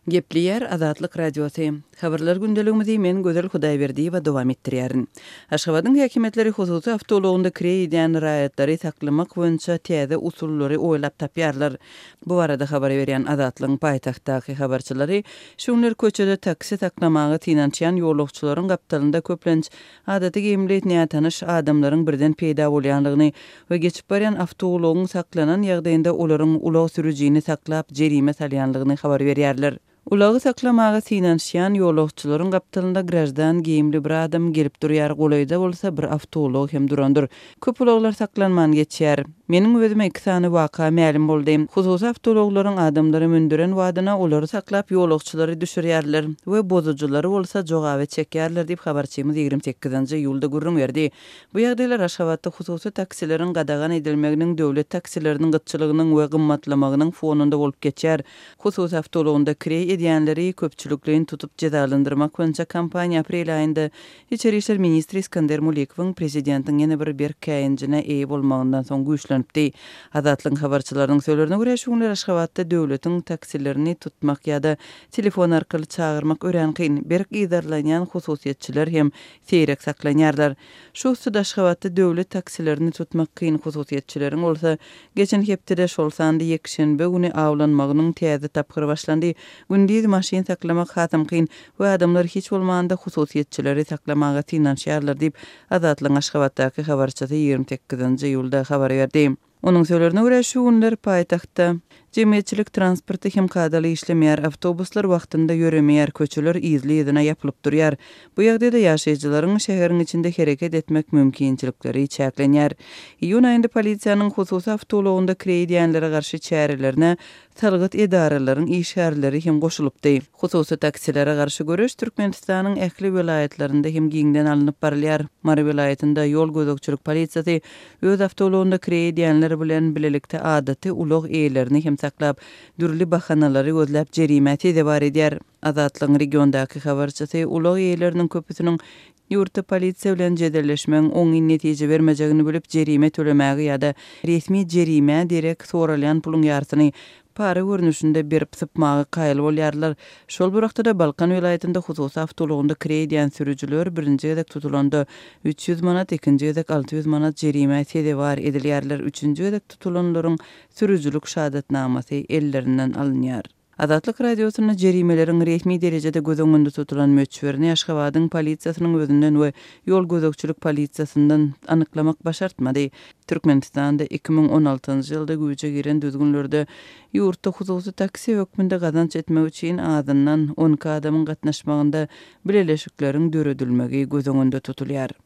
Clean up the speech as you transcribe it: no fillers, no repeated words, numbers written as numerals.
Gepleýär Azatlyk Radiosy. Habarlar gündeligimizi men Gözel Hudaýberdiýewa dowam etdirýärin. Aşgabadyň häkimiýetleri hususy awtoulagynda kireý edýän raýatlary saklamak boýunça täze usullary oýlap tapýarlar. Bu barada habar berýän Azatlygyň paýtagtdaky habarçylary şu günler köçede taksi saklamaga synanyşýan ýolagçylaryň gapdalynda köplenç adaty geýimli nätanyş adamlaryň birden peýda bolýandygyny we geçip barýan awtoulagyň saklanan ýagdaýynda olaryň ulag sürüjini saklap jerime salýandygyny habar berýärler. Ulagy saklamaga synanyşýan ýolagçylaryň gapdalynda graždan geýimli bir adam gelip durýar, golaýda bolsa bir awtoulag hem durandyr. Köp ulaglar saklanman geçýär. Meniň özüme iki sany waka mälim boldy. Hususy awtoulaglaryň adamlary mündüren wadyna olary saklap ýolagçylary düşürýärler we bozujylary bolsa jogaba çekýärler diýip habarçymyz 28-nji iýulda gürrüň berdi. Bu ýagdaýlar Aşgabatda hususy taksileriň gadagan edilmeginiň, döwlet taksileriniň gytçylygynyň we gymmatlamagynyň fonunda bolup geçýär. Hususy awtoulagynda kireý edýänleri köpçülikleýin tutup jezalandyrmak boýunça kampaniýa aprel aýynda Içeri işler ministri Iskender Mulikowyň prezidentiň ýene bir berk käýinjine eýe bolmagyndan soň güýçlenipdi. Azatlygyň habarçylarynyň sözlerine görä, şu günler Aşgabatda döwletiň taksilerini tutmak ýa-da telefon arkaly çagyrmak örän kyn. Berk yzarlanýan hususyýetçiler hem seýrek saklanýarlar. Şu üstede Aşgabatda döwlet taksilerini tutmak kyn, hususyýetçileriň bolsa geçen hepdede, şol sanda ýekşenbe güni awlanmagynyň täze tapgyry başlandy. Gündiz maşyn saklamak hasam kyn we adamlar hiç bolmanda hususyýetçileri saklamaga synanyşýarlar diýip, Azatlygyň Aşgabatdaky habarçysy 28-nji iýulda habar berdi. Onuň sözlerine görä, şu günler paýtagtda jemgyýetçilik transporty hem kadaly işlemeýär, awtobuslar wagtynda ýöremeýär, köçeler yzly-yzyna ýapylyp durýar. Bu ýagdaýda ýaşaýjylaryň şäheriň içinde hereket etmek mümkinçilikleri çäklenýär. Iýun aýynda polisiýanyň hususy awtoulagynda kireý edýänlere garşy çärelerine salgyt edaralaryň işgärleri hem goşulypdy. Hususy taksilere garşy göreş Türkmenistanyň ähli welaýatlarynda hem giňden alnyp barylýar. Mary welaýatynda ýol gözegçilik polisiýasy öz awtoulagynda kireý edýänler bilen bilelikde adaty ulag eýelerini hem saklap, dürli bahanalary gözläp jerimä sezewar edýär. Azatlygyň regiondaky habarçysy ulag eýeleriniň köpüsiniň ýurtda polisiýa bilen jedelleşmegiň oňyn netije bermejegini bilip, jerime tölemäge ýa-da resmi jerimä derek soralýan puluň ýarsyny para görnüşinde berip sypmaga kaýyl bolýarlar. Şol bir wagtda-da, Balkan welaýatynda hususy awtoulagynda kireý edýän sürüjiler birinji gezek tutulanda 300 manat, ikinji gezek 600 manat jerimä sezewar edilýärler, üçünji gezek tutulanlaryň sürüjilik şahadatnamasy ellerinden alynýar. Azatlyk Radiosynda jerimeleriň resmi derejede göz öňünde tutulan möçberini Aşgabadyň polisiýasynyň özünden we ýol gözegçilik polisiýasyndan anyklamak başartmady. Türkmenistanda 2016-njy ýylda güýje giren düzgünlerde ýurtda hususy taksi hökmünde gazanç etmek üçin azyndan 12 adamyň gatnaşmagynda bileleşikleriň döredilmegi göz öňünde tutulýar.